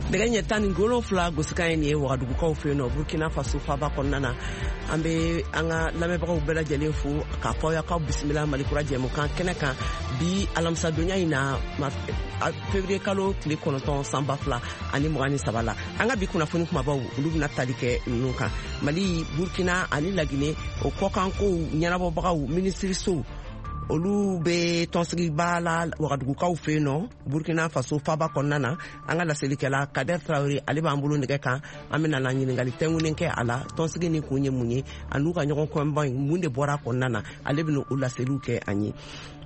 Nɛgɛ ɲɛ 17 gosikan ye nin ye Wagadugukaw fɛ yen nɔ, Burkina Faso faba kɔnɔna na. An bɛ an ka lamɛnbagaw bɛɛ lajɛlen fo k'a fɔ aw k'aw bisimila Malikura jɛmukan kɛnɛ kan bi alamisadonya in na, février kalo tile 9 san 2023 la. An ka bi kunnafoni kumabaw, olu bɛna tali kɛ ninnu kan: Mali, Burkina ani Lagine, o kɔkankow ɲɛnabɔbagaw minisirisow, olu bɛ tɔnsigiba la Wagadugukaw fɛ yen nɔ, Burkina Faso faba kɔnɔna na. An ka laselikɛla Kader Traore, ale b'an bolo nɛgɛ kan. An bɛna na ɲininkali tɛnkunnen kɛ a la, tɔnsigi ni kun ye mun ye, a n'u ka ɲɔgɔn kɔnba in, mun de bɔra a kɔnɔna na, ale bɛna o laseliw kɛ an ye.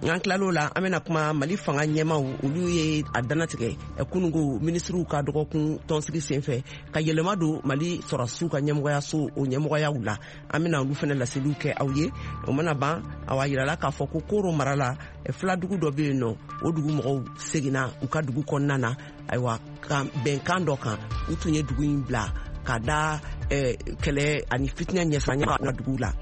N'an tilal'o la, an bɛna kuma Mali fanga ɲɛmaw, olu ye a dannatigɛ kununko minisiriw ka dɔgɔkun tɔnsigi senfɛ ka yɛlɛma don Mali sɔrɔdasiw ka ɲɛmɔgɔyaso o ɲɛmɔgɔyaw la. An bɛna olu fana laseliw kɛ aw ye. O mana ban, awa, yirala k'a fɔ ko Koro mara la, filadugu dɔ bɛ yen nɔ, o dugu mɔgɔw seginna u ka dugu kɔnɔna na. Ayiwa, ka bɛnkan dɔ kan, u tun ye dugu in bila ka da kɛlɛ ani fitinɛ ɲɛsiranya ka dugu la.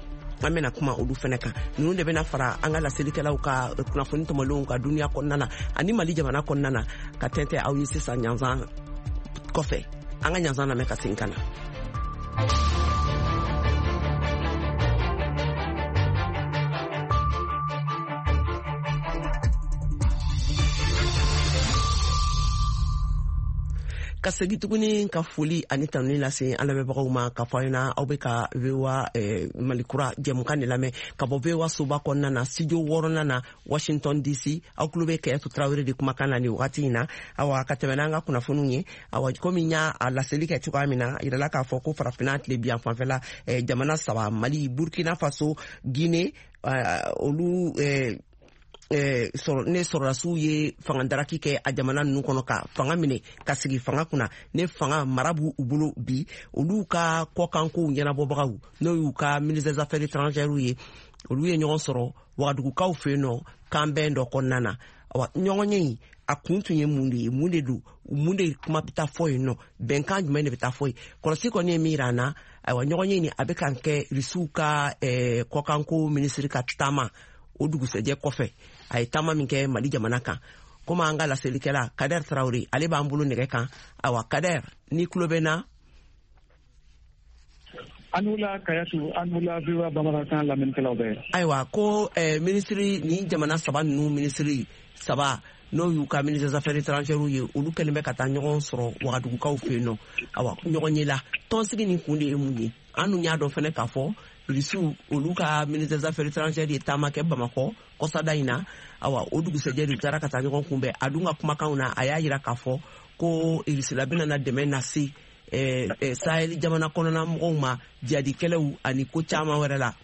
An bɛna kuma olu fɛnɛ kan. Ninnu de bɛna fara an ka laselikɛlaw ka kunnafoni tɔmɔlenw ka duniya kɔnɔna na ani Mali jamana kɔnɔna na ka tɛntɛ aw ye sisan ɲanzan kɔfɛ. An ka ɲanzan lamɛn ka segin ka na. Ka segi tuguni ka foli ani tanuni lase an lamɛnbagaw ma ka fɔ aw ɲɛna, aw bɛ ka VOA Malikura jɛmukan de lamɛn ka bɔ VOA soba kɔnɔna na, studio wɔɔrɔnan na, Washington DC. Aw tulo bɛ Kɛyatu Tarawele de kumakan na nin wagati in na. Awa, ka tɛmɛ n'an ka kunnafoniw ye, awa, komi n y'a laseli kɛ cogoya min na, a yirala k'a fɔ ko Farafinna tilebiyan fanfɛla jamana saba, Mali, Burkina Faso, Guinée, olu ne sɔrɔdasiw ye fanga daraki kɛ a jamana ninnu kɔnɔ ka fanga minɛ ka sigi fanga kunna, ne fanga mara b'u bolo bi, olu ka kɔkankow ɲɛnabɔbagaw, n'o y'u ka ministre des Affaires étrangères ye, olu ye ɲɔgɔn sɔrɔ Wagadugukaw fɛ yen nɔ kanbɛn dɔ kɔnɔna na. Awa, ɲɔgɔn ye in, a kun tun ye mun de ye? Mun de don? Mun de kuma bɛ taa fɔ yen nɔ? Bɛnkan jumɛn de bɛ taa fɔ yen? Kɔlɔsi kɔni ye min yira an na, ayiwa, ɲɔgɔn ye nin, a bɛ kan kɛ Risiw ka kɔkanko minisiri ka taama o dugusɛjɛ kɔfɛ, a ye taama min kɛ Mali jamana kan. Komi an ka laselikɛla Kader Traore, ale b'an bolo nɛgɛ kan. Awa, Kader, ni tulo bɛ na. An wula Kayatu, an wula VOA bamanankan lamɛnnikɛlaw bɛɛ. Ayiwa, ko minisiri ni jamana saba ninnu, minisiri saba, n'o y'u ka ministre des Affaires étrangères ye, olu kɛlen bɛ ka taa ɲɔgɔn sɔrɔ Wagadugukaw fɛ yen nɔ. Awa, ɲɔgɔn ye la tɔnsigi nin kun de ye mun ye? An dun y'a dɔn fɛnɛ k'a fɔ Irisiw, olu ka ministre des Affaires étrangères ye taama kɛ Bamakɔ kɔsada in na. Awa, o dugusɛjɛ de, u taara ka taa ɲɔgɔn kunbɛn. A dun ka kumakanw na, a y'a yira k'a fɔ ko Irisila bɛna na dɛmɛ lase Sahel jamana kɔnɔna mɔgɔw ma, jihadikɛlɛw ani ko caman wɛrɛ la.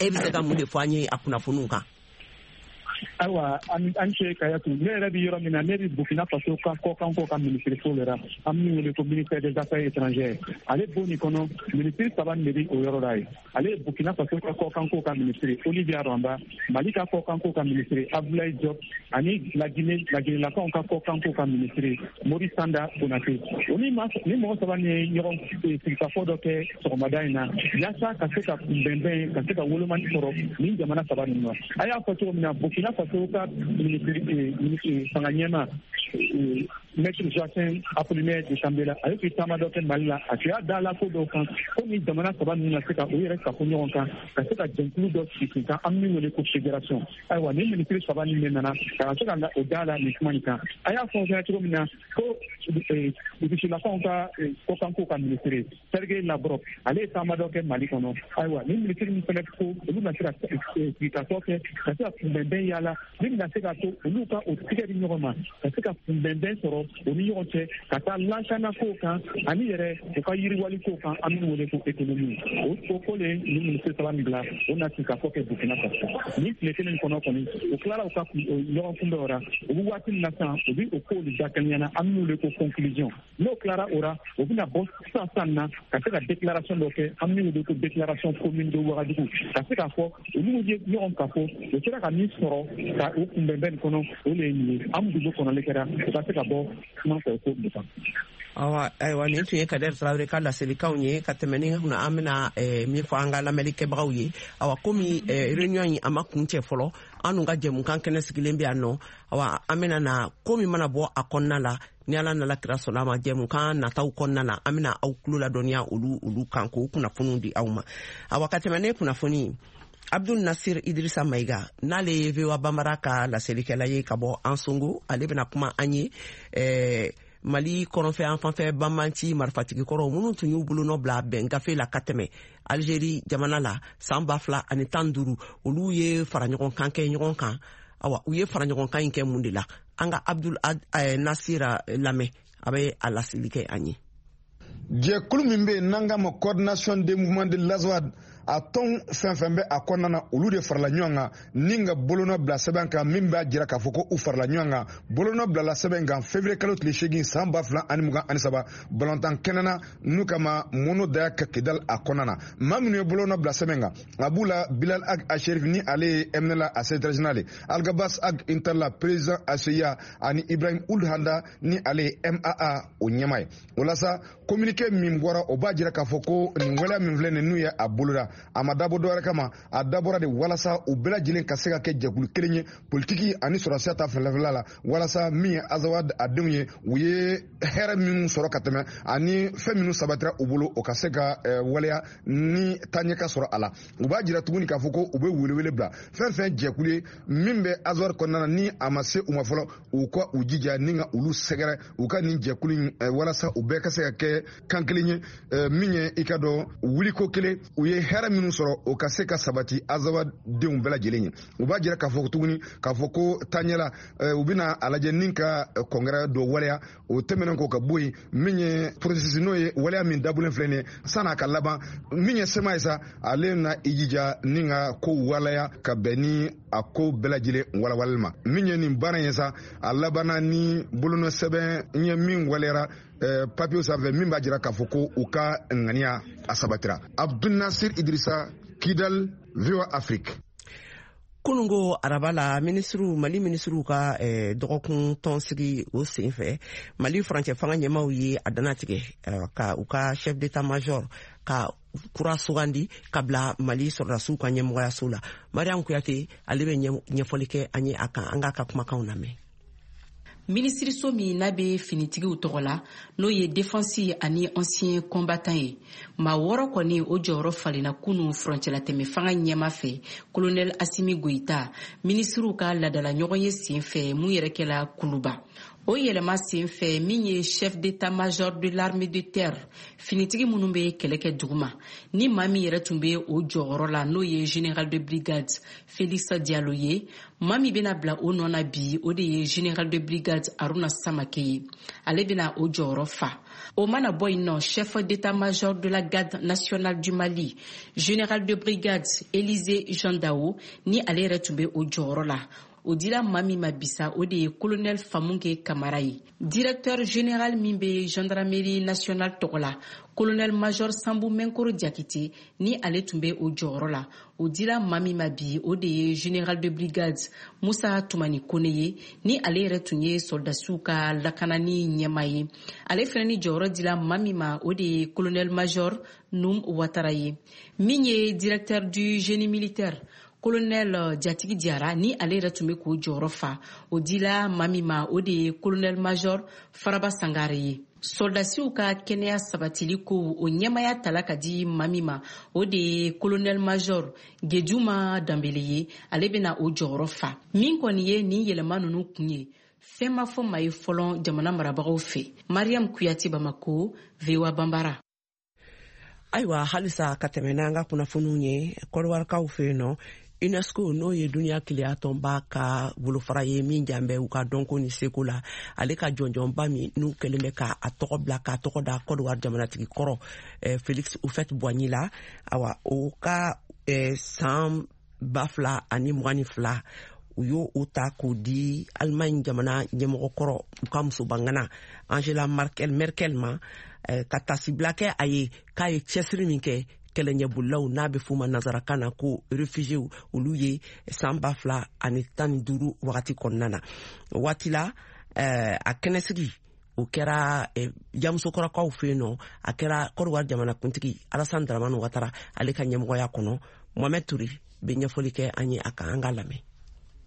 E bɛ se ka mun de fɔ an ye a kunnafoniw kan? Ayiwa, an ce Kayatu. Ne yɛrɛ bɛ yɔrɔ min na, ne bɛ Burkina Faso ka kɔkanko ka minisiriso le la, an min wele ko ministère des Affaires étrangères. Ale bon nin kɔnɔ, minisiri saba de bɛ o yɔrɔ la yen. Ale ye Burkina Faso ka kɔkanko ka minisiri Olivia Rwamba, Mali ka kɔkanko ka minisiri Abdoulaye Diop ani Lagine, Laginelakaw ka kɔkanko ka minisiri Mori Sanda Konate. O ni ni mɔgɔ saba ni ye ɲɔgɔn sigikafɔ dɔ kɛ sɔgɔmada in na yaasa ka se ka kunbɛnbɛn, ka se ka wolomani sɔrɔ nin jamana saba ninnu na. A y'a fɔ cogo min na, Burkina Faso ka minisiri fanga ɲɛma, Maître Joachim Apollinaire de Tambela, ale tun taama dɔ kɛ Mali la. A tun y'a da la ko dɔw kan ko ni jamana saba ninnu na se ka u yɛrɛ kafo ɲɔgɔn kan, ka se ka jɛnkulu dɔ sigi sen kan, an min wele ko fédération. Ayiwa, ni minisiri saba nin de nana ka se ka o da la nin kuma nin kan. A y'a fɔ fɛnɛ cogo min na ko Rusilakaw ka kɔkanko ka minisiri Sergei Lavrov, ale ye taama dɔ kɛ Mali kɔnɔ. Ayiwa, ni minisiri min fɛnɛ ko olu na se ka sigikafɔ kɛ ka se ka kunbɛnbɛn yala min bɛna se ka to olu ka o tigɛ di ɲɔgɔn ma, ka se ka kunbɛnbɛn sɔrɔ o ni ɲɔgɔn cɛ ka taa lakana kow kan ani yɛrɛ u ka yiriwali kow kan, an min wele ko économie. O ko le ni minisiri saba min bila, o na sigikafɔ kɛ Burkina Faso nin tile kelen kɔnɔ kɔni. U tilara u ka ɲɔgɔn kunbɛn o la, u bɛ waati min na sisan, u bɛ o kow de dakɛɲɛ na, an min wele ko conclusion. N'o tilara o la, o bɛna bɔ sisan sisan na ka se ka déclaration dɔ kɛ, an min wele ko déclaration commune de Ouagadougou, ka se k'a fɔ olu ye ɲɔgɔn ka fɔ u sera ka min sɔrɔ ka o kunbɛnbɛn nin kɔnɔ. O de ye nin ye, an dugu kɔnɔli kɛra. U ka se ka bɔ kuma fɛ ko nin kan. Awa, ayiwa, nin tun ye Kader Tarawele ka laselikanw ye. Ka tɛmɛ ni kunna, an bɛna min fɔ an ka lamɛnnikɛbagaw ye, awa, komi réunion in a ma kun cɛ fɔlɔ, an dun ka jɛmukan kɛnɛ sigilen bɛ yan nɔ. Awa, an bɛna na ko min mana bɔ a kɔnɔna la, ni Ala nana kira sɔnna a ma, jɛmukan nataw kɔnɔna na, an bɛna aw tulo ladɔnniya olu kan k'o kunnafoniw di aw ma. Awa, ka tɛmɛ ne kunnafoni, Abdul Nasir Idrissa Maïga, n'ale ye VOA Bambara ka laselikɛla ye ka bɔ Ansongo, ale bɛna kuma an ye Mali kɔrɔnfɛ an fanfɛ banbanci marifatigi kɔrɔw minnu tun y'u bolonɔ bila bɛn gafe la ka tɛmɛ Algérie jamana la san 2015, olu ye fara ɲɔgɔn kan kɛ ɲɔgɔn kan. Awa, u ye fara ɲɔgɔn kan in kɛ mun de la? An ka Abdul Nasir lamɛn, a bɛ a laseli kɛ an ye. Jɛkulu min bɛ yen n'an k'a ma Coordination des mouvements de l'Azawad, a tɔn fɛn fɛn bɛ a kɔnɔna na, olu de farala ɲɔgɔn kan ni ka bolonɔ bila sɛbɛn kan min b'a jira k'a fɔ ko u farala ɲɔgɔn kan. Bolonɔ bilala sɛbɛn kan février kalo tile 8 san 2023, balontan kɛnɛ na n'u kama Mono Daya ka Kidal a kɔnɔna na. Maa minnu ye bolonɔ bila sɛbɛn kan, a b'u la Bilal Ag Asherif, ni ale ye MNLA a secrétaire général ye, Alghabass Ag Intalla, président ACIA, ani Ibrahim Ould Handa, ni ale ye MAA o ɲɛmaa ye. O la sa, communiqué min bɔra, o b'a jira k'a fɔ ko nin waleya min filɛ nin, n'u ye a boloda, a ma dabɔ dɔwɛrɛ kama, a dabɔra de walasa u bɛɛ lajɛlen ka se ka kɛ jɛkulu kelen ye politiki ani sɔrɔsiya ta fanfɛla la, walasa min ye Azawad a denw ye, u ye hɛrɛ minnu sɔrɔ ka tɛmɛ ani fɛn minnu sabatira u bolo, o ka se ka waleya ni taaɲɛ ka sɔrɔ a la. U b'a jira tuguni k'a fɔ ko u bɛ welewele bila fɛn fɛn jɛkulu ye min bɛ Azawad kɔnɔna na, ni a ma se u ma fɔlɔ, u ka u jija ni ka olu sɛgɛrɛ u ka nin jɛkulu in, walasa u bɛɛ ka se ka kɛ kan kelen ye, min ye i ka dɔn wuliko kelen, u ye hɛrɛ minnu sɔrɔ, o ka se ka sabati Azawad denw bɛɛ lajɛlen ye. U b'a jira k'a fɔ tuguni k'a fɔ ko taaɲɛ la, u bɛna a lajɛ ni ka congrès dɔ waleya. O tɛmɛnen kɔ ka bɔ yen, min ye processus, n'o ye waleya min dabulen filɛ nin ye, san'a ka laban, min ye CMA ye sa, ale na i jija ni ka ko waleya ka bɛn ni a ko bɛɛ lajɛlen walawalali ma. Min ye nin baara ye sa, a labanna ni bolonɔ sɛbɛn ye min waleyara papier sanfɛ, min b'a jira k'a fɔ ko u ka ŋaniya a sabatira. Abdul Nasir Idrissa, Kidal, VOA Afrique. Kunungo araba la, minisiriw, Mali minisiriw ka dɔgɔkun tɔnsigi, o sen fɛ, Mali furancɛ fanga ɲɛmaw ye a dannatigɛ ka u ka chef d'état major ka kura sugandi ka bila Mali sɔrɔdasiw ka ɲɛmɔgɔyaso la. Mariam Kuyate, ale bɛ ɲɛfɔli kɛ an ye a kan. An k'a ka kumakanw lamɛn. Minisiriso min n'a bɛ finitigiw tɔgɔ la, n'o ye Défense ani Ancien Combattant ye, maa wɔɔrɔ kɔni o jɔyɔrɔ falenna kunu furancɛlatɛmɛ fanga ɲɛma fɛ, Colonel Assimi Goïta, minisiriw ka ladala ɲɔgɔn ye sen fɛ mun yɛrɛ kɛla Kuluba. O yɛlɛma sen fɛ, min ye chef d'état-major de l'armée de terre, finitigi minnu bɛ kɛlɛ kɛ duguma, ni maa min yɛrɛ tun bɛ o jɔyɔrɔ la, n'o ye général de brigade Félix Diallo ye, maa min bɛna bila o nɔ na bi, o de ye général de brigade Haruna Samake ye, ale bɛna o jɔyɔrɔ fa. O mana bɔ yen nɔ, chef d'état-major de la garde nationale du Mali, général de brigade Élisée Jean Dao, ni ale yɛrɛ tun bɛ o jɔyɔrɔ la, o dira maa min ma bisa, o de ye colonel Famunke Kamara ye. Directeur général min bɛ Gendarmerie nationale tɔgɔ la, colonel major Sambu Mɛnkoro Jakite, ni ale tun bɛ o jɔyɔrɔ la, o dira maa min ma bi, o de ye général de brigade Musa Tumani Kone ye, ni ale yɛrɛ tun ye sɔrɔdasiw ka lakanani ɲɛma ye. Ale fana ni jɔyɔrɔ dira maa min ma, o de ye colonel major Num Watara ye. Min ye directeur du génie militaire, colonel Jatigi Diara, ni ale yɛrɛ tun bɛ k'o jɔyɔrɔ fa, o dila maa min ma, o de ye colonel major Faraba Sangare ye. Sɔrɔdasiw ka kɛnɛya sabatili ko, o ɲɛmaya tala ka di maa min ma, o de ye colonel major Gejuma Danbele ye, ale bɛna o jɔyɔrɔ fa. Min kɔni ye nin yɛlɛma ninnu kun ye, fɛn ma fɔ maa ye fɔlɔ jamana marabagaw fɛ. Mariam Kuyate, Bamako, VOA Banbara. Ayiwa, halisa ka tɛmɛ n'an ka kunnafoniw ye, Kɔdiwarikaw fɛ yen nɔ, UNESCO, n'o ye duniya keleya tɔnba ka bolofara ye min jan bɛ u ka dɔnko ni seko la, ale ka jɔnjɔnba min n'u kɛlen bɛ ka a tɔgɔ bila k'a tɔgɔ da Kɔdiwari jamanatigi kɔrɔ Félix Houphouët Boigny la, awa, o ka san 2022, u y'o o ta k'o di Alimaɲi jamana ɲɛmɔgɔ kɔrɔ, u ka musobangana Angela Merkel ma, ka tasibila kɛ a ye k'a ye cɛsiri min kɛ kɛlɛɲɛbolilaw, n'a bɛ f'o ma nanzarakan na ko réfugiés, olu ye san 2015 wagati kɔnɔna na. O waati la A kɛnɛsigi o kɛra Jamusokɔrɔkaw fɛ yen nɔ, a kɛra Kɔdiwari jamanakuntigi Alassane Dramane Ouattara ale ka ɲɛmɔgɔya kɔnɔ. Mohamed Touré bɛ ɲɛfɔli kɛ an ye a kan, an k'a lamɛn.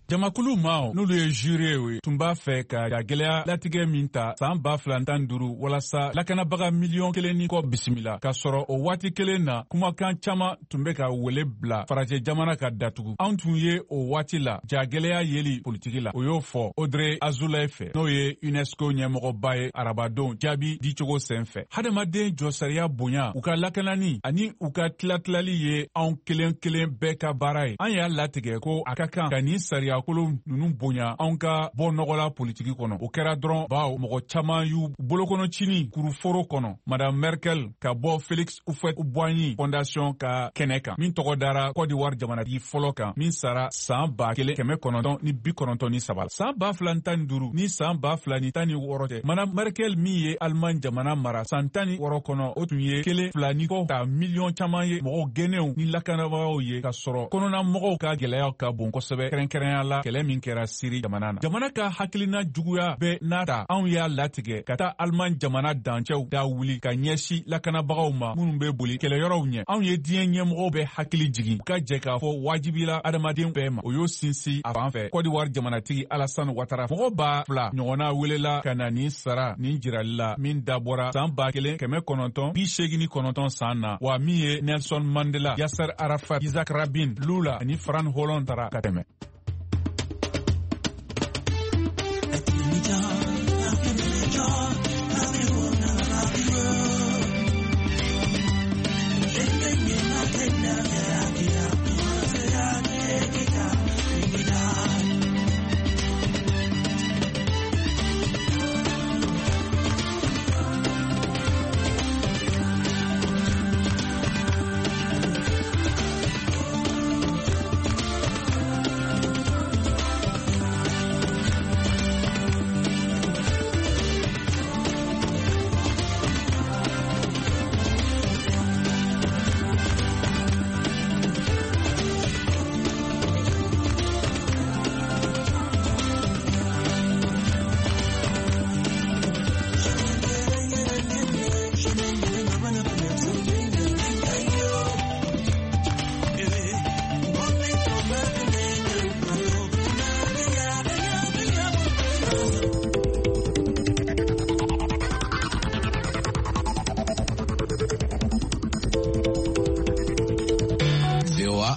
Jamakulu maaw n'olu ye juriew ye tun b'a fɛ ka jagɛlɛya latigɛ min ta san 2015 walasa lakanabaga miliyɔn 1 ni kɔ bisimila, k'a sɔrɔ o waati kelen na kumakan caman tun bɛ ka wele bila farajɛ jamana ka datugu. Anw tun ye o waati la jagɛlɛya yeli politiki la, o y'o fɔ Audrey Azoulay fɛ, n'o ye UNESCO ɲɛmɔgɔba ye arabadon jaabi dicogo sen fɛ. Hadamaden jɔsariya bonya, u ka lakanani ani u ka tilatilali ye anw kelen kelen bɛɛ ka baara ye. An y'a latigɛ ko a ka kan ka nin sariya kolon ninnu bonya anw ka bɔ nɔgɔla politiki kɔnɔ. O kɛra dɔrɔn bawo mɔgɔ caman y'u bolokɔnɔ cini kuruforo kɔnɔ. Madame Merkel ka bɔ Felix Houphouët-Boigny Fondation ka kɛnɛ kan, min tɔgɔ dara Côte d'Ivoire jamanatigi fɔlɔ kan min sara san 1993 la. San 2015 ni san 2016 cɛ, Madame Merkel min ye Allemagne jamana mara san 16 kɔnɔ, o tun ye 1.2 ni kɔ ta miliyɔn caman ye mɔgɔw gɛnnenw ni lakanabagaw ye, ka sɔrɔ kɔnɔna mɔgɔw ka gɛlɛyaw ka bon kosɛbɛ, kɛrɛnkɛrɛnya la kɛlɛ min kɛra Siri jamana na. Jamana ka hakilina juguya bɛɛ n'a ta, anw y'a latigɛ ka taa Allemagne jamana dancɛw da wuli ka ɲɛsin lakanabagaw ma minnu bɛ boli kɛlɛyɔrɔw ɲɛ. Anw ye diɲɛ ɲɛmɔgɔw bɛɛ hakili jigin u ka jɛ k'a fɔ wajibila adamaden bɛɛ ma. O y'o sinsin a fan fɛ Côte d'Ivoire jamanatigi Alassane Ouattara. Mɔgɔ 2000 ɲɔgɔnna welela ka na nin sara nin jirali la min dabɔra san 1989 san na, wa min ye Nelson Mandela, Yasser Arafat, Isaac Rabin, Lula ani Frantz Hollande tara ka tɛmɛ.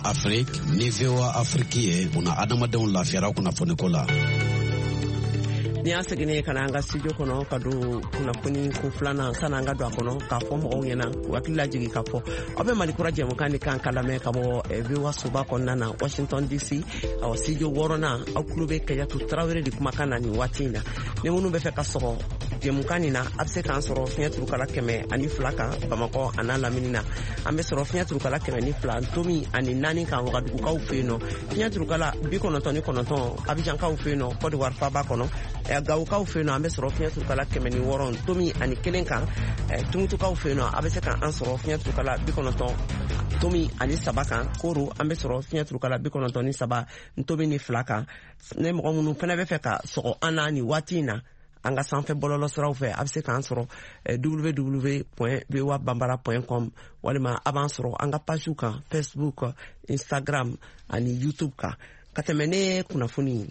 Afrique ni VOA Afrique ye una adamadenw lafiyara kunnafoniko la. Ni an seginnen ka na an ka studio kɔnɔ ka don kunnafoni ko filanan, sanni an ka don a kɔnɔ k'a fɔ mɔgɔw ɲɛna u hakili lajigin k'a fɔ aw bɛ Mali kura jɛmukan de kan ka lamɛn ka bɔ VOA soba kɔnɔna na Washington DC, awɔ studio 6nan. Aw tulo bɛ Kajatu Tarawele de kumakan na nin waati in na. Ni minnu bɛ fɛ ka sɔgɔ jɛmukan nin na, a bɛ se k'an sɔrɔ fiɲɛ turukala 102 kan Bamakɔ a n'a lamini na. An bɛ sɔrɔ fiɲɛ turukala 102.4 kan Wagadugukaw fɛ yen nɔ, fiɲɛ turukala 99 Abijankaw fɛ yen nɔ Côte d'Ivoire faaba kɔnɔ, Gawokaw fɛ yen nɔ an bɛ sɔrɔ fiɲɛ turukala 106.1 kan, Tumutukaw fɛ yen nɔ a bɛ se k'an sɔrɔ fiɲɛ turukala 90.3 kan, Koro an bɛ sɔrɔ fiɲɛ turukala 93.2 kan. Ne mɔgɔ minnu fana bɛ fɛ ka sɔgɔ an na nin waati in na an ka sanfɛ bɔlɔlɔ siraw fɛ, a bɛ se k'an sɔrɔ www.voabambara.com, walima a b'an sɔrɔ an ka pagew kan Facebook, Instagram ani YouTube kan. Ka tɛmɛ ne kunnafoni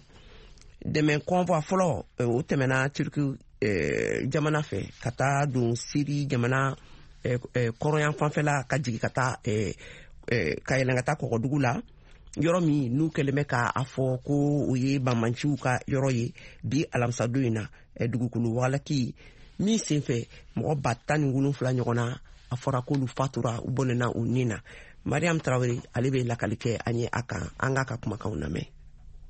dɛmɛ convoi fɔlɔ, o tɛmɛna Turki jamana fɛ ka taa don Siri jamana kɔrɔyan fanfɛla, ka jigin ka taa ka yɛlɛn ka taa kɔgɔdugu la, yɔrɔ min n'u kɛlen bɛ k'a fɔ ko o ye banbanciw ka yɔrɔ ye. Bi alamisadon in na, dugukolo walaki min senfɛ mɔgɔ 17,000 ɲɔgɔn na, a fɔra k'olu fatura, u bɔnɛna u ni na. Mariam Tarawele ale bɛ lakali kɛ an ye a kan, an k'a ka kumakanw lamɛn.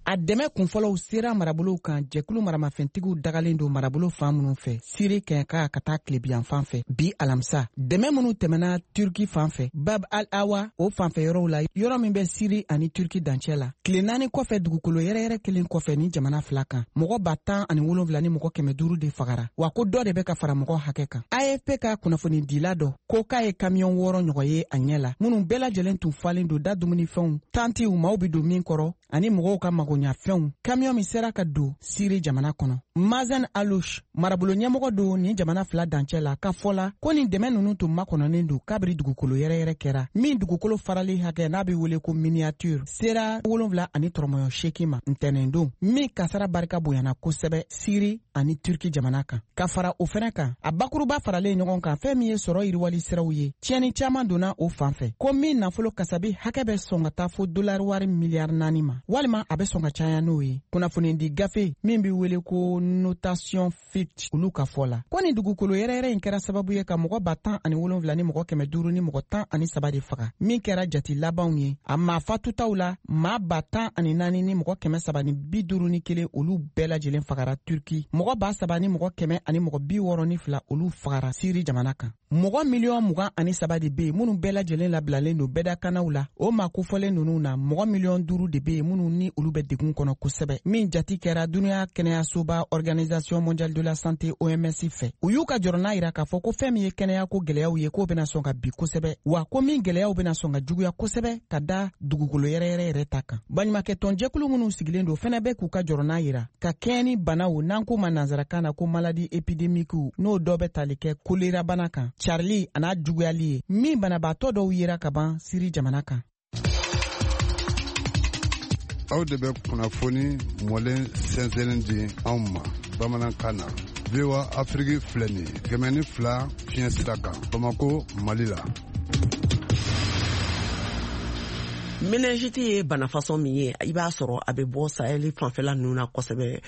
A dɛmɛ kunfɔlɔw sera marabolow kan jɛkulu maramafɛntigiw dagalen don marabolo fan minnu fɛ Siri kɛɲɛka ka taa tilebiyan fan fɛ bi alamisa. Dɛmɛ minnu tɛmɛna Turki fan fɛ Bab al-Awa o fanfɛ yɔrɔw la, yɔrɔ min bɛ Siri ani Turki dancɛ la, tile 4 kɔfɛ dugukolo yɛrɛyɛrɛ kelen kɔfɛ ni jamana fila kan, mɔgɔ 17,500 de fagara, wa ko dɔ de bɛ ka fara mɔgɔ hakɛ kan. AFP ka kunnafonidila dɔ ko k'a ye kamiyɔn 6 ɲɔgɔn ye a ɲɛ la, minnu bɛɛ lajɛlen tun falen don da dumunifɛnw, tantiw maaw bɛ don min kɔrɔ. ani mɔgɔw ka magoɲafɛnw kamiyɔn min sera ka don Siri jamana kɔnɔ. Mazen Alouche, marabolo ɲɛmɔgɔ don nin jamana fila dancɛ la, ka fɔ la ko nin dɛmɛ ninnu tun makɔnɔnen don kabiri dugukolo yɛrɛyɛrɛ kɛra, min dugukolo farali hakɛ n'a bɛ wele ko miniature sera 7.8 ma ntɛnɛndon, min kasara barika bonyana kosɛbɛ Siri ani Turki jamana kan. Ka fara o fɛnɛ kan, a bakuruba faralen ɲɔgɔn kan, fɛn min ye sɔrɔ yiriwali siraw ye, tiɲɛni caaman donna o fan fɛ, ko min nafolo kasabi hakɛ bɛ sɔn ka taa fo dolari wari miliyari 4 ma, walima a bɛ sɔn ka caya n'o ye. Kunnafonidi gafe min bɛ wele ko Notation Fitch, olu ka fɔ la ko nin dugukolo yɛrɛyɛrɛ in kɛra sababu ye ka mɔgɔ 17 000 ni mɔgɔ 500 ni mɔgɔ 13 de faga, min kɛra jati labanw ye. A maa fatutaw la, maa 14 000 ni mɔgɔ 351, olu bɛɛ lajɛlen fagara Turki, mɔgɔ 3000 ni mɔgɔ 162, olu fagara Siri jamana kan. Mɔgɔ miliyɔn 23 de be yen minnu bɛɛ lajɛlen labilalen don bɛdakanaw la. O maa kofɔlen ninnu na, mɔgɔ miliyɔn 5 de be yen minnu ni olu bɛ degun kɔnɔ kosɛbɛ, min jati kɛra Duniɲa kɛnɛyasoba Organisation mondiale de la santé, OMS fɛ. U y'u ka jɔrɔna yira k'a fɔ ko fɛn min ye kɛnɛyako gwɛlɛyaw ye, k'o bena sɔn ka bi kosɛbɛ, wa ko min gwɛlɛyaw bena sɔn ka juguya kosɛbɛ ka da dugukolo yɛrɛyɛrɛ yɛrɛ ta kan. Baɲumakɛtɔnjɛkulu minnu sigilen don fɛnɛ bɛ k'u ka jɔrɔna yira ka kɛɲɛ ni banaw n'an k'o ma nansarakan na ko maladie épidémique, n'o dɔ bɛ tali kɛ kolerabana kan, carili a n'a juguyali ye, min banabaatɔ dɔw yera ka ban Siri jamana kan. Aw de bɛ kunnafoni mɔlen sɛnsɛnnin di anw ma bamanankan na. VOA Afiriki filɛ nin ye, 102 fiɲɛ sira kan, Bamako, Mali la. Méningite ye bana fasɔn min ye, i b'a sɔrɔ a bɛ bɔ Sahel fanfɛla ninnu na kosɛbɛ.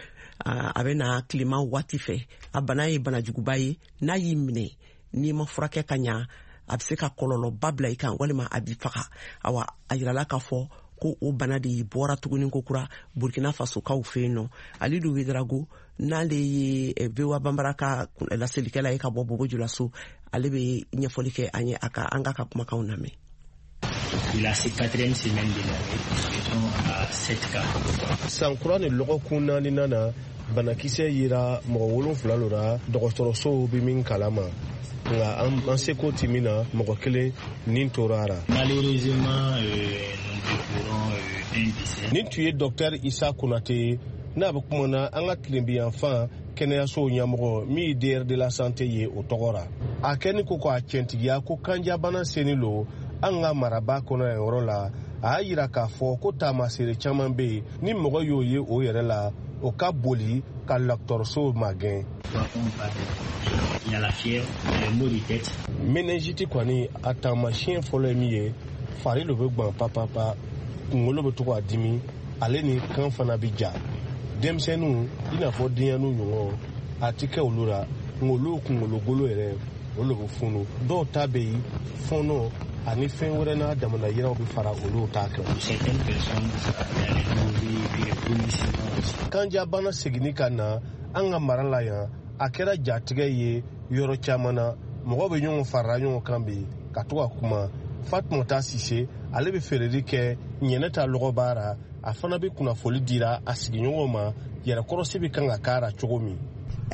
A bɛ na tilema waati fɛ. A bana ye bana juguba ye. N'a y'i minɛ, n'i ma furakɛ ka ɲa, a bɛ se ka kɔlɔlɔba bila i kan, walima a b'i faga. Awa, a yirala k'a fɔ ko o bana de bɔra tuguni ko kura Burkina Fasokaw fɛ yen nɔ. Alidu Ouédraogo, n'ale ye VOA Banbara ka laselikɛla ye ka bɔ Bobo Julaso, ale bɛ ɲɛfɔli kɛ an ye. A ka an k'a ka kumakanw lamɛn. La quatrième semaine de l'année, nous sommes à 7 cas. San kura ni lɔgɔkun naaninan na, banakisɛ yera mɔgɔ 7 lo ra dɔgɔtɔrɔsow bɛ min kalama, nka an seko ti min na, mɔgɔ kelen nin tora a ra. Malheureusement, nous déplorons un décès. Nin tun ye Dɔktɛr Isa Konate ye, n'a bɛ kuma na an ka tilebiyanfan kɛnɛyasow ɲɛmɔgɔ min ye DR de la santé ye, o tɔgɔ ra. A kɛni ko k'a tiɲɛtigiya ko kanjabana seni lo an ka maraba kɔnɔ yan yɔrɔ la. A y'a yira k'a fɔ ko taamasere caman bɛ yen, ni mɔgɔ y'o ye o yɛrɛ la, o ka boli ka dɔgɔtɔrɔsow magɛn. Il y a la fièvre, les maux de tête. Méningite kɔni, a taamasiyɛn fɔlɔ ye min ye, fari lo bɛ gwan papapa, kunkolo bɛ to k'a dimi, ale ni kan fana bɛ ja. Denmisɛnninw, i n'a fɔ denyɛrɛninw ɲɔgɔn, a ti kɛ olu la, nka olu kunkolo golo yɛrɛ, olu bɛ funu. Dɔw ta bɛ yen, fɔɔnɔ ani fɛn wɛrɛ n'a damana yiraw bɛ fara olu ta kan. Certaines personnes, les nausées, puis les vomissements aussi. Kanjabana seginni ka na an ka mara la yan, a kɛra jatigɛ ye yɔrɔ caman na. Mɔgɔ bɛ ɲɔgɔn farala ɲɔgɔn kan bi ka to ka kuma. Fatumata Sise, ale bɛ feereli kɛ ɲɛnɛ ta lɔgɔba ra. A fana bɛ kunnafoli dira a sigiɲɔgɔnw ma, yɛrɛkɔrɔsi bɛ kan ka k'a ra cogo min.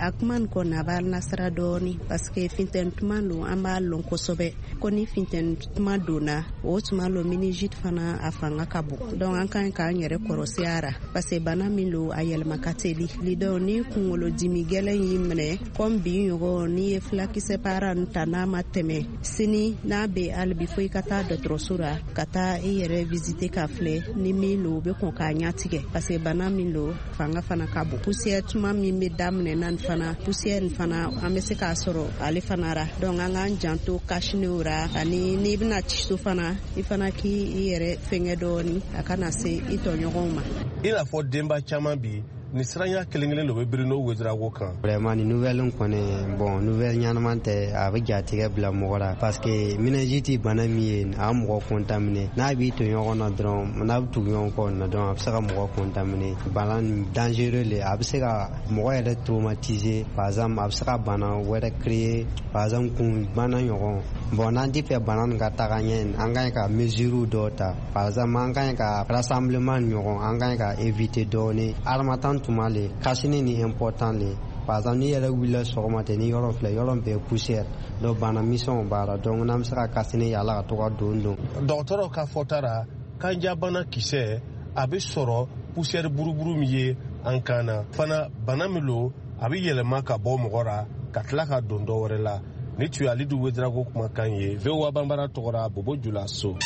A kuma nin kɔni, a b'a nasira dɔɔni, parce que funtɛni tuma don, an b'a lɔn kosɛbɛ ko ni funtɛni tuma donna, o tuma lo méningite fana a fanga ka bon. Donc an kan k'an yɛrɛ kɔrɔsi a ra, parce que bana min lo, a yɛlɛma ka teli. Donc ni kunkolo dimi gɛlɛn y'i minɛ, comme bi ɲɔgɔn, n'i ye fulakisɛ para nin ta, n'a ma tɛmɛ sini, n'a bɛ hali bi, fo i ka taa dɔgɔtɔrɔso la ka taa i yɛrɛ visiter ka filɛ ni min lo, u bɛ kɔn k'a ɲatigɛ, parce que bana min lo, fanga fana ka bon. Poussière tuma min bɛ daminɛ na nin fana, poussière nin fana, an bɛ se k'a sɔrɔ ale fana ra. Donc an k'an janto cache-nez ra, ani n'i bɛna ci so fana, i fana k'i yɛrɛ fɛngɛ dɔɔni, a kana se i tɔɲɔgɔnw ma. I n'a fɔ denba caman bi ni siranya kelen kelen de bɛ Bruno Ouédraogo kan. Vraiment, ni nouvelle kɔni, bon, nouvelle ɲɛnama tɛ. A bɛ jatigɛ bila mɔgɔ la, parce que méningite, bana min ye, a bɛ mɔgɔ contaminer. N'a b'i to ɲɔgɔn na dɔrɔn, n'a bɛ tugu ɲɔgɔn kɔ na dɔrɔn, a bɛ se ka mɔgɔ contaminer. Bana nin dangereux le, a bɛ se ka mɔgɔ yɛrɛ traumatiser. Par exemple, a bɛ se ka bana wɛrɛ créer, par exemple kun bana ɲɔgɔn. Bon, n'an tɛ fɛ bana nin ka taga ɲɛ, an ka ɲi ka mesures dɔw ta. Par exemple, an ka ɲi ka rassemblement ɲɔgɔn, an ka ɲi ka éviter dɔɔni. Harmattan tuma le, cache-nez ni important le. Par exemple, n'i yɛrɛ wulila sɔgɔma ten, ni yɔrɔ filɛ, yɔrɔ bɛɛ poussière, donc bana misɛnw b'a la. Donc n'an bɛ se ka cache-nez yala ka to ka don don. Dɔgɔtɔrɔw ka fɔta ra, kanjabana kisɛ A bɛ sɔrɔ poussière buruburu min ye an kan na fana. Bana min lo, a bɛ yɛlɛma ka bɔ mɔgɔ ra ka tila ka don dɔ wɛrɛ la. Ni tun ye Alidu Wedarago kumakan ye VOA Banbara tɔgɔra, Bobo Julaso.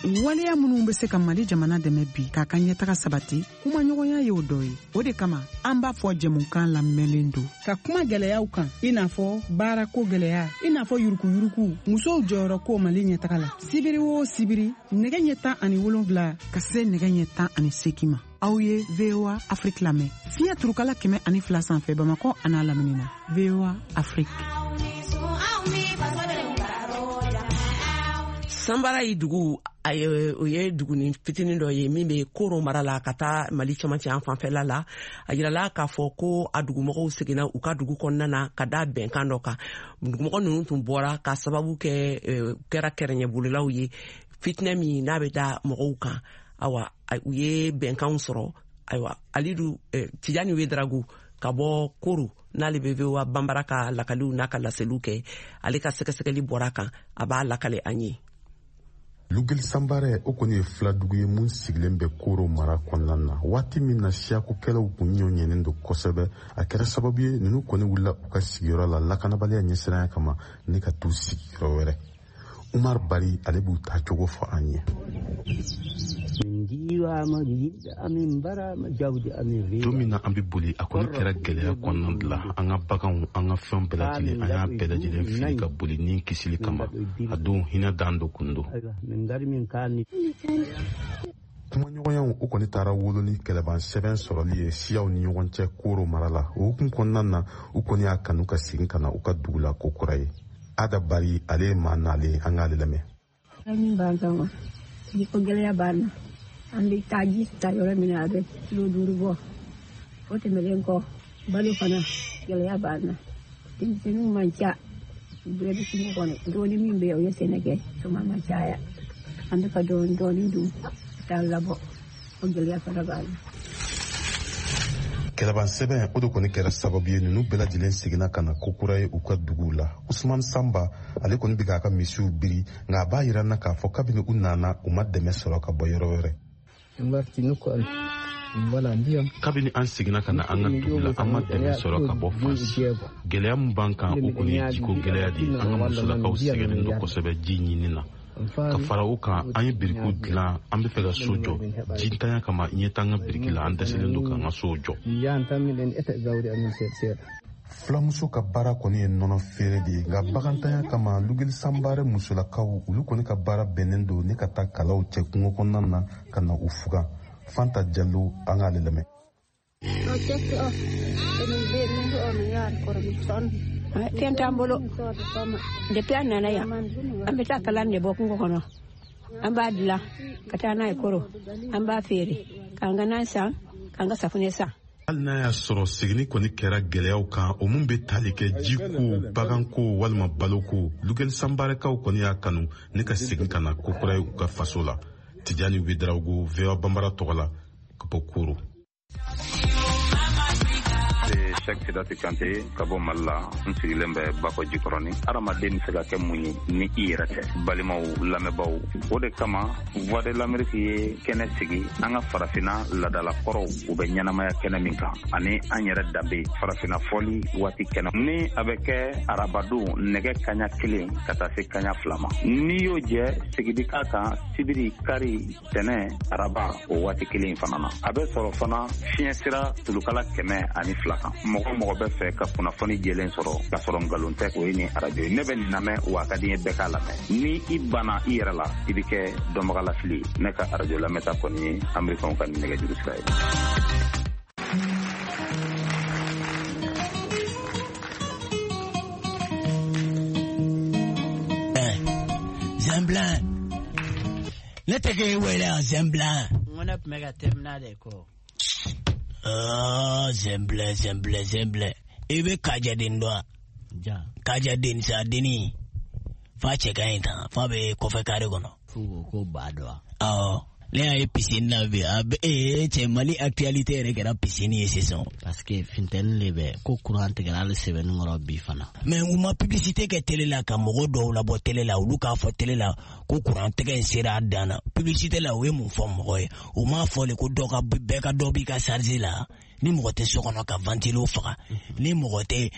Waleya minnu bɛ se ka Mali jamana dɛmɛ bi k'a ka ɲɛtaga sabati, kumaɲɔgɔnya y'o dɔ ye. O de kama an b'a fɔ jɛmukan lamɛnlen don ka kuma gɛlɛyaw kan, i n'a fɔ baarako gɛlɛya, i n'a fɔ yurukuyuruku, musow jɔyɔrɔ ko Mali ɲɛtaga la. Sibiri o sibiri, nɛgɛ ɲɛ 17 ka se nɛgɛ ɲɛ 18 ma, aw ye VOA Afrique lamɛn fiɲɛ turukala 102 sanfɛ, Bamakɔ an'a lamini na. VOA Afrique. Sanbara ye dugu, o ye duguni fitinin dɔ ye min bɛ Koro mara la, ka taa Mali cɛmancɛ an fanfɛla la. A yirala k'a fɔ ko a dugumɔgɔw seginna u ka dugu kɔnɔna na ka da bɛnkan dɔ kan. Dugumɔgɔ ninnu tun bɔra ka sababu kɛ kɛra kɛrɛɲɛbolilaw ye, fitinɛ min n'a bɛ da mɔgɔw kan. Awa, u ye bɛnkanw sɔrɔ. Ayiwa, Alidu Tijani Wedarago ka bɔ Koro, n'ale bɛ VOA Banbara ka lakaliw n'a ka laseliw kɛ, ale ka sɛgɛsɛgɛli bɔra kan, a b'a lakale an ye. Lugeli Sanbarɛ, o kɔni ye filadugu ye mun sigilen bɛ Koro mara kɔnɔna na. Waati min na siyakokɛlaw kun ɲɔ ɲɛnen don kosɛbɛ, a kɛra sababu ye ninnu kɔni wulila u ka sigiyɔrɔ la lakanabaliya ɲɛsiranya kama ni ka t'u sigiyɔrɔ wɛrɛ. Umar Bari, ale b'u taa cogo fɔ an ye. Don min na an bɛ boli, a kɔni kɛra gɛlɛya kɔnɔna de la. An ka baganw, an ka fɛn bɛɛ lajɛlen, an y'a bɛɛ lajɛlen fili ka boli ni kisili kama. A don hinɛ dan dɔ kun don. Kumaɲɔgɔnyaw, o kɔni taara wolo ni kɛlɛban sɛbɛn sɔrɔli ye siyaw ni ɲɔgɔn cɛ Koro mara la. O hukumu kɔnɔna na, u kɔni y'a kanu ka segin ka na u ka dugu la ko kura ye. Ada Bari, ale ye maa nalen, an k'ale lamɛn. Min b'an kan, jiko gɛlɛya b'an na. An bɛ taa ji ta yɔrɔ min na, a bɛ kilo 5 bɔ. O tɛmɛnen kɔ, balo fana gɛlɛya b'an na. Denmisɛnninw man ca, bɛɛ bɛ kungo kɔnɔ. Dɔɔnin min bɛ yen, o ye sɛnɛ kɛ, tuma ma caya. An bɛ ka dɔɔnin dɔɔnin dun ka taa labɔ, o gɛlɛya fana b'an na. Kɛlɛban sɛbɛn, o de kɔni kɛra sababu ye ninnu bɛɛ lajɛlen seginna ka na kokura ye u ka duguw la. Usman Sanba, ale kɔni bɛ k'a ka misiw biri, nka a b'a yira n na k'a fɔ kabini u nana, u ma dɛmɛ sɔrɔ ka bɔ yɔrɔ wɛrɛ. Kabini an seginna ka na an ka dugu la, an ma dɛmɛ sɔrɔ ka bɔ fan si. Gɛlɛya min b'an kan, o kɔni ye jiko gɛlɛya de ye. An ka musolakaw sɛgɛnnen don kosɛbɛ ji ɲini na. Ka fara o kan, an ye birikiw dilan, an bɛ fɛ ka so jɔ. Jintanya kama, ɲɛ t'an ka biriki la, an dɛsɛlen don k'an ka sow jɔ. Fulamuso ka baara kɔni ye nɔnɔ feere de ye, nka bagantanya kama, Lugeli Sanbarɛ musolakaw, olu kɔni ka baara bɛnnen don ne ka taa kalaw cɛ kungo kɔnɔna na ka na u fugan. Fanta Jalo, an k'ale lamɛn. Fɛn t'an bolo depuis an nana yan. An bɛ taa kalan de bɔ kungo kɔnɔ, an b'a dilan ka taa n'a ye Koro, an b'a feere k'an ka nan san, k'an ka safunɛ san. Hali n'a y'a sɔrɔ seginni kɔni kɛra gɛlɛyaw kan, o mun bɛ tali kɛ jiko, baganko walima baloko, Lugeli Sanbarɛkaw kɔni y'a kanu ne ka segin ka na kokura ye u ka faso la. Tijani Wedarago, VOA Banbara tɔgɔ la, ka bɔ Koro. Cheikh Sidati Kante ka bɔ Mali la, n sigilen bɛ Bakɔ Jikɔrɔni. Hadamaden bɛ se ka kɛ mun ye ni i yɛrɛ tɛ? Balimaw, lamɛnbaaw, o de kama Voix de l'Amérique ye kɛnɛ sigi an ka farafinna laadalakɔrɔw, u bɛ ɲɛnamaya kɛnɛ min kan, ani an yɛrɛ danbe farafinna fɔli waati kɛnɛ ni a bɛ kɛ arabadon nɛgɛ kaɲa 1 ka taa se kaɲa 2 ma. N'i y'o jɛ, segin bi k'a kan sibiri, kari, tɛnɛ, araba, o waati kelen in fana na. A bɛ sɔrɔ fana fiɲɛ sira tulukala 102 kan. Mɔgɔ mɔgɔ bɛ fɛ ka kunnafoni jɛlen sɔrɔ k'a sɔrɔ nkalon tɛ, o ye nin arajo ye. Ne bɛ nin lamɛn, wa a ka di n ye bɛɛ k'a lamɛn. Ni i banna i yɛrɛ la, i bɛ kɛ dɔnbagalafili ye. Ne ka arajo lamɛnta kɔni ye Amerikɛnw ka nin nɛgɛjuru sira ye. Zemblan, ne tɛ k'e wele yan, Zemblan. N ko ne tun bɛ ka terminal de kɔ. Zemblan, Zemblan, Zemblan, i bɛ Kajaden dɔn wa? Kajaden sa denni fa cɛ ka ɲi tan, fa bɛ kɔfɛ kare kɔnɔ. F'u ko ko ba dɔn wa? Awɔ. Ne y'a ye piscine na bi, a bɛ ee cɛ, Mali actualité yɛrɛ kɛra piscine ye sisan. Parce que funteni de bɛ ko courant tigɛra hali sɛbɛnni kɔrɔ bi fana. Mais u ma publicité kɛ télé la ka mɔgɔ dɔw labɔ télé la, olu k'a fɔ télé la ko courant tigɛ in sera a dan na. Publicité la, u ye mun fɔ mɔgɔ ye? U m'a fɔ le ko dɔ ka bɛɛ ka dɔ b'i ka charge la. Ni mɔgɔ tɛ so kɔnɔ ka ventilo faga, ni mɔgɔ tɛ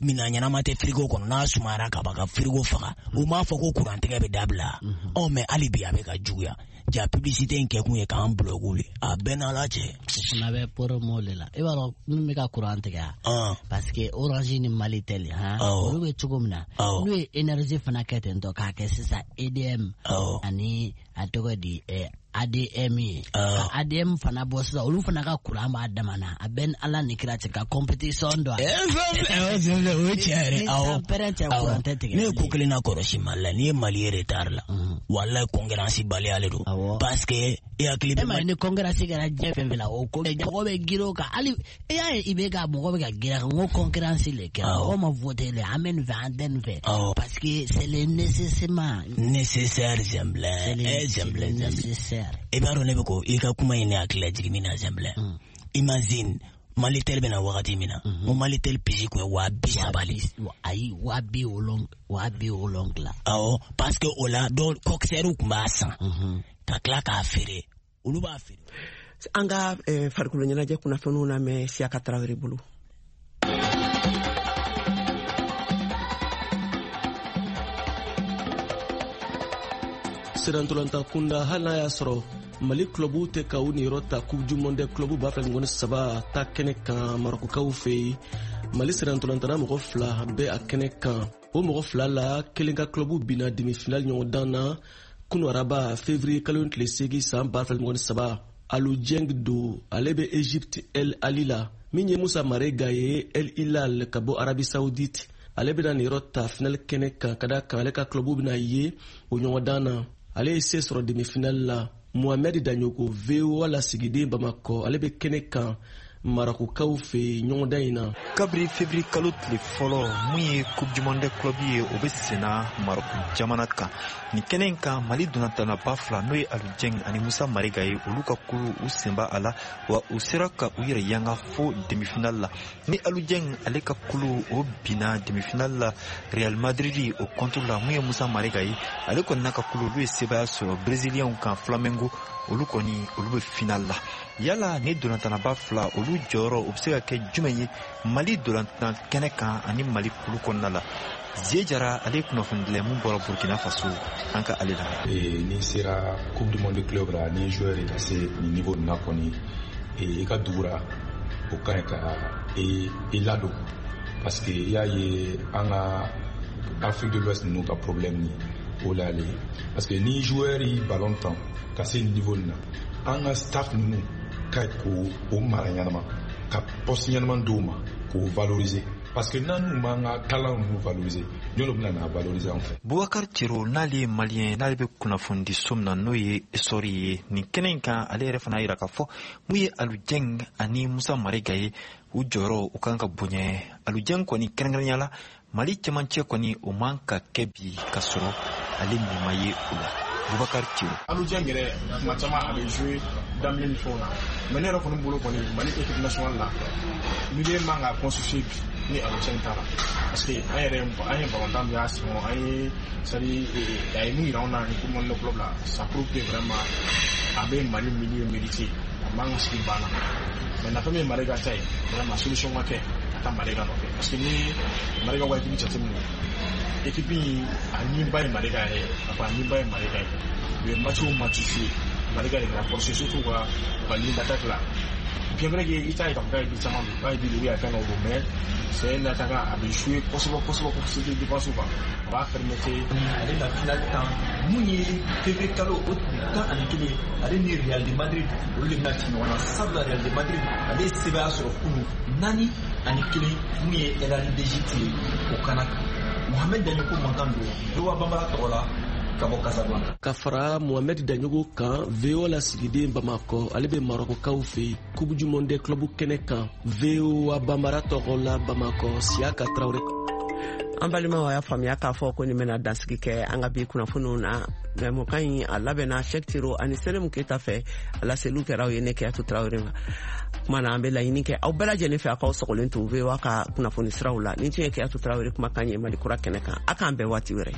minan ɲɛnama tɛ frigo kɔnɔ, n'a sumayara ka ban ka frigo faga. U m'a fɔ ko kurantigɛ bɛ dabila. Ɔ, mais hali bi a bɛ ka juguya. Ja publicité in kɛkun ye k'an bloquer le, a bɛɛ n'Ala cɛ. O fana bɛ promo de la. I b'a dɔn min bɛ ka courant tigɛ wa? Parce que Orange ni Malitel, han, olu bɛ cogo min na, n'u ye énergie fana kɛ ten tɔ k'a kɛ sisan EDM ani a tɔgɔ di ADM ye, ka ADM fana bɔ sisan, olu fana ka courant b'a dama na. A bɛ ni Ala ni kira cɛ ka compétition dɔn. O ye tiɲɛ yɛrɛ, awɔ. Ni cɛ, courant tɛ tigɛ. Ne ye ko kelen na kɔlɔsi Mali la, n'i ye Mali ye retard la, walayi, concurrence baliya le don, parce que e hakili bɛ. E ma ye, ni concurrence kɛra diɲɛ fɛn fɛn la, o ko mɔgɔ bɛ girin o kan. Hali e y'a ye, i bɛ ka mɔgɔ bɛ ka girin a kan n ko concurrence le kɛra, mɔgɔ ma voté le, an bɛ nin fɛ, an tɛ nin fɛ, parce que c'est le nécessairement nécessaire. Zɛnbilɛ, zɛnbilɛ, nécessaire. I b'a dɔn, ne bɛ ko i ka kuma in ne hakili lajigin min na, Zɛnbilɛ, imagine Malitel bɛna wagati min na, n ko Malitel puce kun ye 30 000 le. Ayi, 70 000, 70 000. Awɔ, parce que o la dɔw coxeur kun b'a san ka tila k'a feere, olu b'a feere. An ka farikolo ɲɛnajɛ kunnafoniw lamɛn Siyaka Tarawele bolo. Sirantolanta kunda, hali n'a y'a sɔrɔ Mali clubu tɛ ka u niyɔrɔ ta Coupe du monde club 2023 ta kɛnɛ kan Marɔkukaw fɛ yen, Mali sirantolantana mɔgɔ fila bɛ a kɛnɛ kan. O mɔgɔ fila la, kelen ka club binna demi-finale ɲɔgɔndan na kunu araba, février kalo tile 8 san 2023. Alu Jeng do, ale bɛ Egypte El Ali la. Min ye Musa Marega ye El Hilal ka bɔ Arabie Saoudite, ale bɛna niyɔrɔ ta finale kɛnɛ kan, ka da kan ale ka club bɛna ye o ɲɔgɔndan na. Ale ye se sɔrɔ demi-finale la. Mohamed Daɲogo, VOA lasigiden Bamakɔ, ale bɛ kɛnɛ kan Marakukaw fɛ ɲɔgɔndan in na. Kabiri février kalo tile fɔlɔ, mun ye Coupe du monde club ye, o bɛ senna Marɔku jamana kan. Nin kɛnɛ in kan, Mali donnatanaba fila, n'o ye Alu Jɛng ani Musa Marega ye, olu ka kulu u senba a la, wa u sera ka u yɛrɛ yanga fo demi-finale la. Ni Alu Jɛng, ale ka kulu o binna demi-finale la Real Madrid o contre la. Mun ye Musa Marega ye, ale kɔni n'a ka kulu, olu ye sebaya sɔrɔ Brésilien kan Flamengo. Olu kɔni, olu bɛ finale la. Yala ni donnatanaba fila, olu jɔyɔrɔ o bɛ se ka kɛ jumɛn ye Mali dolantan kɛnɛ kan ani Mali kulu kɔnɔna la? Zie Jara, ale ye kunnafonidila mun bɔra Burkina Faso, an ka ale lamɛn. N'i sera Coupe du monde club la, ni joueur ka se nin niveau nin na kɔni, i ka dugu la, o ka ɲi ka i ladon, parce que i y'a ye, an ka Afrique de l'Ouest ninnu ka problème ni o la ale, parce que ni joueur yi ballon tan ka se nin niveau nin na, an ka staff ninnu ka ɲi k'o mara ɲɛnama, ka poste ɲɛnama d'o ma, k'o valoriser, parce que n'an n'u m'an ka talent ninnu valoriser, jɔn de bɛna n'a valoriser an fɛ? Bubakar Cero, n'ale ye malien, n'ale bɛ kunnafonidi so min na, n'o ye Esɔri ye, nin kɛnɛ in kan, ale yɛrɛ fana yira k'a fɔ mun ye Alu Jɛng ani Musa Marega ye, u jɔyɔrɔ u kan ka bonya. Alu Jɛng kɔni, kɛrɛnkɛrɛnya la Mali cɛmancɛ kɔni, o man ka kɛ bi ka sɔrɔ ale nin ma ye o la. Bubakar Cero. Alu Jɛng yɛrɛ, tuma caman a bɛ jouer daminɛ ni fɛnw na, mais ne yɛrɛ kɔni bolo kɔni, Mali équipe nationale la, milieu man ka constituer bi ni Alu Jɛng t'a la, parce que an yɛrɛ, an ye balontan min y'a sen kɔnɔ, an ye, c'est à dire a ye mun yira anw na ni Coupe du monde club la, ça prouve que vraiment a bɛ Mali milieu mérité, a man ka sigi banc na. Mais nafa min ye Marega ta ye, vraiment solution ka kɛ ka taa Marega nɔfɛ, parce que ni Marega ka équipe jateminɛ, équipe in a niba ye Marega yɛrɛ ye, a niba ye Marega ye. U ye match o match joué, Marega de kɛra force, surtout u ka ligne d'attaque la. Bien vrai que i t'a ye k'a fɔ k'a ye but caman don, k'a ye but don, ou bien a ye fɛn dɔw don, mais c'est un attaquant, a bɛ jouer kosɛbɛ kosɛbɛ kosɛbɛ défense kan, a b'a permettre. Ale na finale tan, mun ye février kalo o tile 11, ale ni Real de Madrid, olu de bɛna ci ɲɔgɔn na, sabula Real de Madrid, ale ye sebaya sɔrɔ kunu 4-1 mun ye El Ahly d'Égypte ye o kana kan. Mohamed Daɲoko mankan don VOA Bambara tɔgɔ la ka bɔ Casablanca. Ka fara Mohamed Daɲogo kan, VOA lasigiden Bamakɔ, ale bɛ Marɔkɔkaw fɛ yen Coupe du monde club kɛnɛ kan. VOA Bambara tɔgɔ la Bamakɔ, Siyaka Tarawele. An balimaw, y'a faamuya k'a fɔ ko nin bɛna dansigi kɛ an ka bi kunnafoniw na. Jɛmukan in, a labɛnna Shɛk Tiro ani Selemu Keyita fɛ. A laseliw kɛra aw ye ne Keyatu Tarawele ma. Kuma na, an bɛ laɲini kɛ aw bɛɛ lajɛlen fɛ, a k'aw sɔgɔlen to VOA ka kunnafoni siraw la. Nin tun ye Keyatu Tarawele kumakan ye Mali Kura kɛnɛ kan. A k'an bɛn waati wɛrɛ.